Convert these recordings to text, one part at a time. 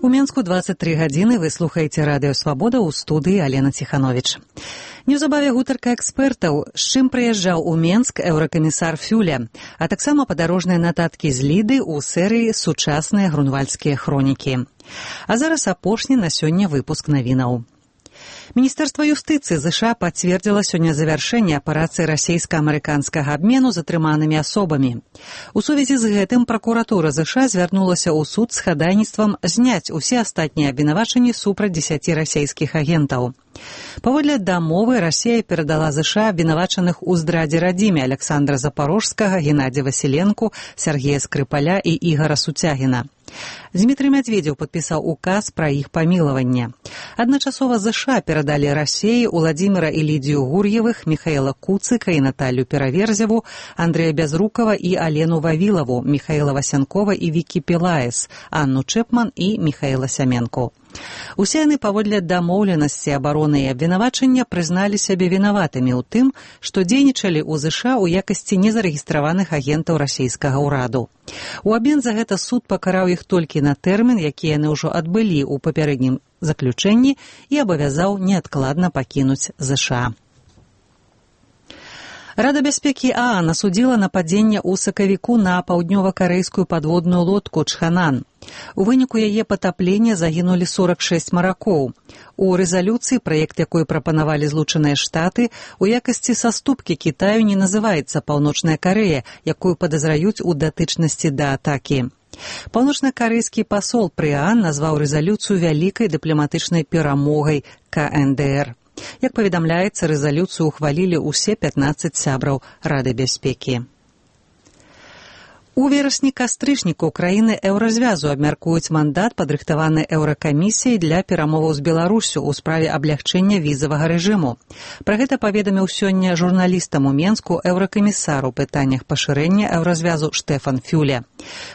У Менску 23 гадзіны вы слухаеце радыё «Свабода», ў студыі Алена Ціхановіч. Неўзабаве гутарка экспертаў, з чым прыязджаў у Менск еўракамісар Фюле, а таксама падарожныя нататкі з Ліды ў серыі «Сучасныя грунвальдскія хронікі». А зараз апошні на сёння выпуск навінаў. Міністэрства юстыцыі ЗША пацвердзіла сёння завяршэнне аперацыі расейска-амерыканскага абмену затрыманымі асобамі. У сувязі з гэтым пракуратура ЗША звярнулася ў суд з хадайніцтвам зняць усе астатнія абвінавачанні супраць 10 расейскіх агентаў. Паводле дамовы Расія перадала ЗША абвінавачаных у здрадзе радзіме Александра Запорожскага, Геннадзя Васіленку, Сергея Скрыпаля і Ігара Суцягіна. Дмітрый Медведзеў падпісаў указ пра іх памілаванне. Адначасова ЗША перадалі Расіі Уладзіміра і Лідзію Гур'евых, Міхаіла Куцыка і Наталью Пераверзеву, Андрэя Бязрукава і Алену Вавілаву, Міхаіла Васянкова і Вікі Пілаес, Анну Чэпман і Міхаіла Сяменку. Усе яны паводле дамоўленасці абароны і абвінавачання прызналі сябе вінаватымі ў тым, што дзейнічалі ў ЗША ў якасці незарэгістраваных агентаў расійскага ўраду. У абмен за гэта суд пакараў іх толькі на тэрмін, які яны ўжо адбылі ў папярэднім заключэнні, і абавязаў неадкладна пакінуць ЗША. Рада бяспекі ААН асудзіла нападзенне ў сакавіку на паўднёва-карэйскую падводную лодку «Чханан». У выніку яе патаплення загінулі 46 маракоў. У рэзалюцыі, праект якой прапанавалі Злучаныя Штаты, у якасці саступкі Кітаю не называецца Паўночная Карэя, якую падазраюць у датычнасці да атакі. Паўночна-карэйскі пасол пры ААН назваў рэзалюцыю вялікай дыпламатычнай перамогай КНДР. Як паведамляецца, рэзалюцыю ухвалілі ўсе 15 сябраў Рады бяспекі. У верасні-кастрычніку краіны еўразвязу абмяркуюць мандат, падрыхтаваны еўракамісіяй для перамоваў з Беларусю ў справе аблягчэння візавага рэжыму. Пра гэта паведаміў сёння журналістам у Менску еўракамісар у пытаннях пашырэння еўразвязу Штефан Фюле.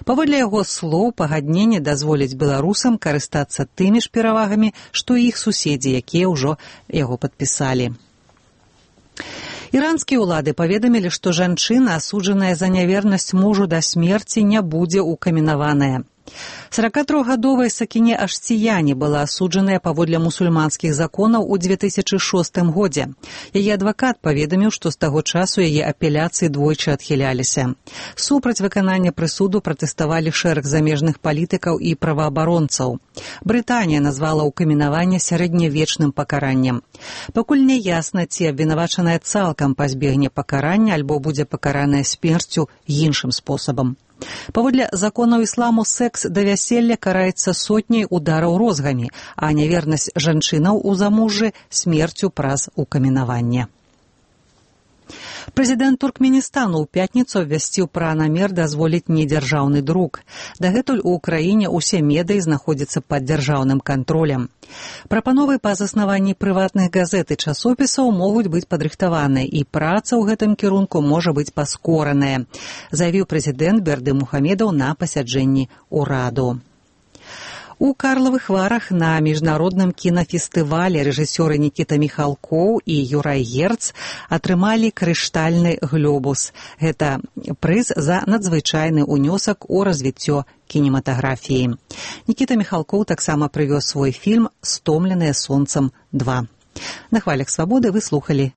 Паводле яго слоў, пагадненне дазволіць беларусам карыстацца тымі ж перавагамі, што і іх суседзі, якія ўжо яго падпісалі. Іранскія ўлады паведамілі, што жанчына, асуджаная за нявернасць мужу да смерці, не будзе укаменаваная. 43-гадовая Сакіне Аштияні была асуджаная паводле мусульманскіх законаў у 2006 годзе. Яе адвакат паведаміў, што з таго часу яе апеляцыі двойчы адхіляліся. Супраць выканання прысуду пратэставалі шэраг замежных палітыкаў і праваабаронцаў. Брытанія назвала укаменаванне сярэднявечным пакараннем. Пакуль не ясна, ці абвінавачаная цалкам пазбегне пакарання альбо будзе пакараная смерцю іншым спосабам. Паводле законаў ісламу секс да вяселля караецца сотняй удараў розгамі, а нявернасць жанчынаў у замужжы смерцю праз укаменаванне. Прэзідэнт Туркменістану ў пятніцу абвясціў пра намер дазволіць недзяржаўны друк. Дагэтуль у краіне ўсе медыі знаходзяцца пад дзяржаўным кантролем. Прапановы па заснаванні прыватных газет і часопісаў могуць быць падрыхтаваныя, і праца ў гэтым кірунку можа быць паскораная, заявіў прэзідэнт Берды Мухамедаў на пасяджэнні ўраду. У Карлавых Варах на міжнародным кінафестывалі рэжысёры Нікіта Міхалкоў і Юрай Герц атрымалі крыштальны глобус. Гэта прыз за надзвычайны ўнёсак у развіццё кінематаграфіі. Нікіта Міхалкоў таксама прывёз свой фільм «Стомленыя сонцам 2». На хвалях свабоды вы слухалі